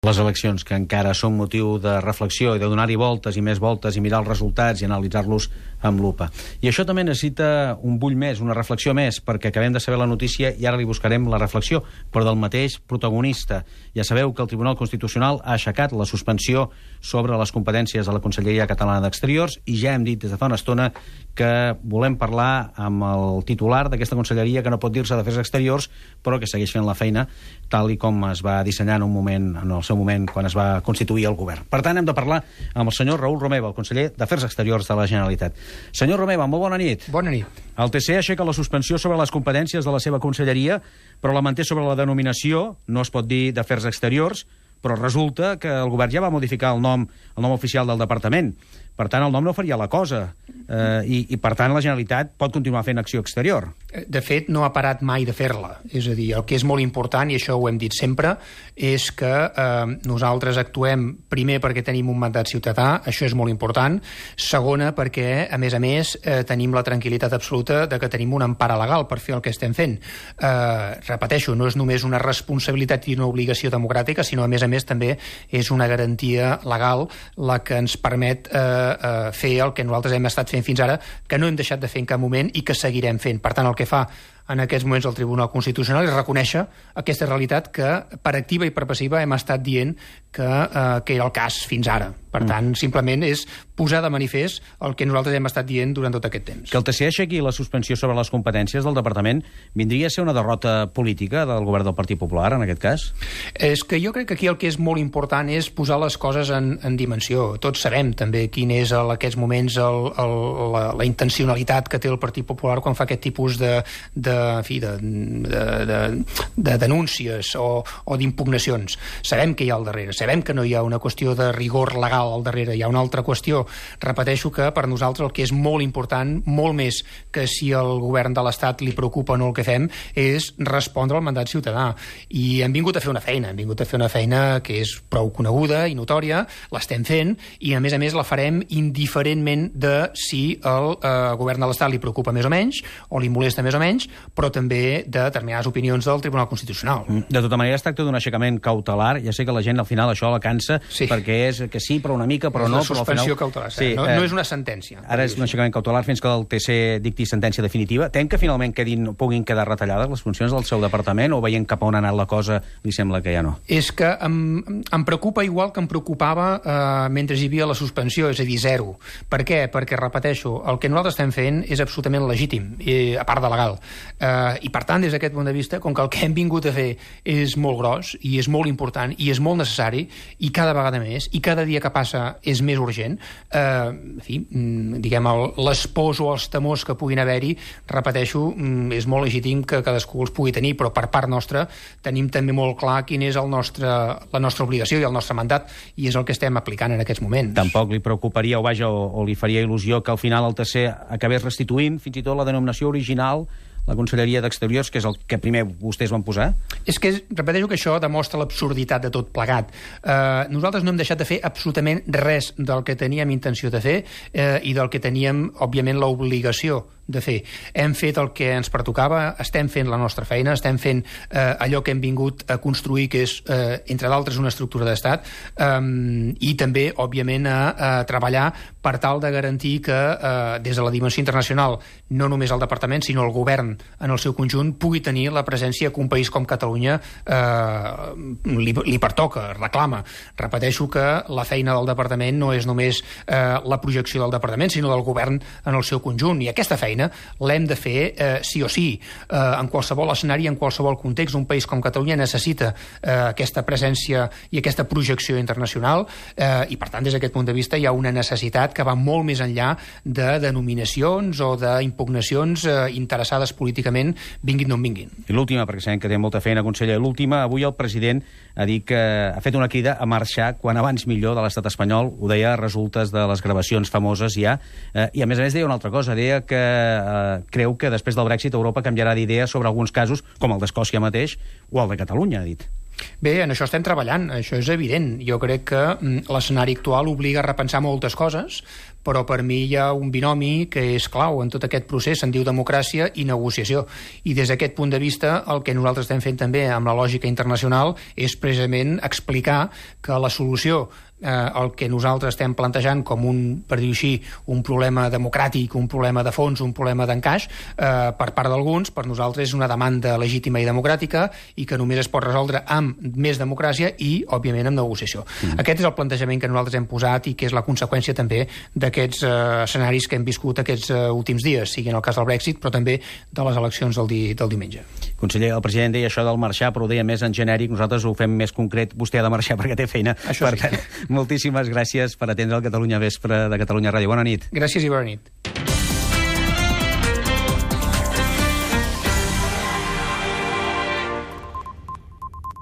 Les eleccions, que encara són motiu de reflexió i de donar-hi voltes i més voltes i mirar els resultats i analitzar-los amb lupa. I això també necessita un bull més, una reflexió més, perquè acabem de saber la notícia i ara li buscarem la reflexió, però del mateix protagonista. Ja sabeu que el Tribunal Constitucional ha aixecat la suspensió sobre les competències de la Conselleria Catalana d'Exteriors i ja hem dit des de fa una estona que volem parlar amb el titular d'aquesta conselleria, que no pot dir-se d'Afers Exteriors, però que segueix fent la feina tal i com es va dissenyar en el seu moment quan es va constituir el govern. Per tant, hem de parlar amb el senyor Raül Romeva, el conseller d'Afers Exteriors de la Generalitat. Senyor Romeva, molt bona nit. Bona nit. El TC aixeca la suspensió sobre les competències de la seva conselleria, però la manté sobre la denominació, no es pot dir d'Afers Exteriors, però resulta que el govern ja va modificar el nom oficial del departament. Per tant, el nom no faria la cosa. I per tant, la Generalitat pot continuar fent acció exterior. De fet, no ha parat mai de fer-la. És a dir, el que és molt important, i això ho hem dit sempre, és que nosaltres actuem primer perquè tenim un mandat ciutadà, això és molt important. Segona, perquè, a més, tenim la tranquil·litat absoluta de que tenim una empara legal per fer el que estem fent. Repeteixo, no és només una responsabilitat i una obligació democràtica, sinó, a més, també és una garantia legal la que ens permet fer el que nosaltres hem estat fent fins ara, que no hem deixat de fer en cap moment i que seguirem fent. Per tant, el que fa en aquests moments el Tribunal Constitucional és reconèixer aquesta realitat que per activa i per passiva hem estat dient que era el cas fins ara. Per tant, simplement és posar de manifest el que nosaltres hem estat dient durant tot aquest temps. Que el TC aixequi la suspensió sobre les competències del departament vindria a ser una derrota política del govern del Partit Popular, en aquest cas? És que jo crec que aquí el que és molt important és posar les coses en dimensió. Tots sabem també quin és en aquests moments la intencionalitat que té el Partit Popular quan fa aquest tipus de denúncies o d'impugnacions. Sabem que hi ha al darrere, sabem que no hi ha una qüestió de rigor legal al darrere, hi ha una altra qüestió. Repeteixo que per nosaltres el que és molt important, molt més que si el govern de l'Estat li preocupa o no el que fem, és respondre al mandat ciutadà. I hem vingut a fer una feina, que és prou coneguda i notòria, l'estem fent, i a més la farem indiferentment de si el govern de l'Estat li preocupa més o menys, o li molesta més o menys, però també de determinades opinions del Tribunal Constitucional. De tota manera, es tracta d'un aixecament cautelar. Ja sé que la gent al final això la cansa, perquè és que sí, però una mica, però no. És una suspensió cautelar, no és una sentència. Ara és un aixecament cautelar fins que el TC dicti sentència definitiva. Tem que finalment puguin quedar retallades les funcions del seu departament, o veient cap a on ha anat la cosa, li sembla que ja no? És que em preocupa igual que em preocupava mentre hi havia la suspensió, és a dir, zero. Per què? Perquè, repeteixo, el que nosaltres estem fent és absolutament legítim, a part de legal. I per tant, des d'aquest punt de vista, com que el que hem vingut a fer és molt gros i és molt important i és molt necessari, i cada vegada més, i cada dia que passa és més urgent, diguem, les pors o els temors que puguin haver-hi, repeteixo, és molt legítim que cadascú els pugui tenir, però per part nostra tenim també molt clar quina és la nostra obligació i el nostre mandat, i és el que estem aplicant en aquests moments. Tampoc li preocuparia o li faria il·lusió que al final el TC acabés restituint fins i tot la denominació original, la Conselleria d'Exteriors, que és el que primer vostès van posar? És que, repeteixo, que això demostra l'absurditat de tot plegat. Nosaltres no hem deixat de fer absolutament res del que teníem intenció de fer i del que teníem, òbviament, l'obligació de fer. Hem fet el que ens pertocava, estem fent la nostra feina, estem fent allò que hem vingut a construir, que és, entre d'altres, una estructura d'estat, i també, òbviament, a treballar per tal de garantir que des de la dimensió internacional, no només el departament, sinó el govern en el seu conjunt, pugui tenir la presència que un país com Catalunya li pertoca, reclama. Repeteixo que la feina del departament no és només la projecció del departament, sinó del govern en el seu conjunt, i aquesta feina l'hem de fer sí o sí. En qualsevol escenari, en qualsevol context, un país com Catalunya necessita aquesta presència i aquesta projecció internacional, i per tant, des d'aquest punt de vista, hi ha una necessitat que va molt més enllà de denominacions o d'impugnacions interessades políticament, vinguin d'on vinguin. I l'última, perquè sabem que té molta feina, conseller, l'última, avui el president ha dit que ha fet una crida a marxar quan abans millor de l'estat espanyol, ho deia a resultes de les gravacions famoses ja, i a més deia una altra cosa, deia que creu que després del Brexit Europa canviarà d'idea sobre alguns casos, com el d'Escòcia mateix, o el de Catalunya, ha dit. Bé, en això estem treballant, això és evident. Jo crec que l'escenari actual obliga a repensar moltes coses, però per mi hi ha un binomi que és clau en tot aquest procés, se'n diu democràcia i negociació. I des d'aquest punt de vista, el que nosaltres estem fent també amb la lògica internacional és precisament explicar que la solució el que nosaltres estem plantejant com per dir-ho així, un problema democràtic, un problema de fons, un problema d'encaix, per part d'alguns, per nosaltres és una demanda legítima i democràtica i que només es pot resoldre amb més democràcia i, òbviament, amb negociació. Aquest és el plantejament que nosaltres hem posat i que és la conseqüència també d'aquests escenaris que hem viscut aquests últims dies, sigui en el cas del Brexit, però també de les eleccions del diumenge. Conseller, el president deia això del marxar, però ho deia més en genèric, nosaltres ho fem més concret, vostè ha de marxar perquè té feina. Això sí. Moltíssimes gràcies per atendre el Catalunya Vespre de Catalunya Ràdio. Bona nit. Gràcies i bona nit.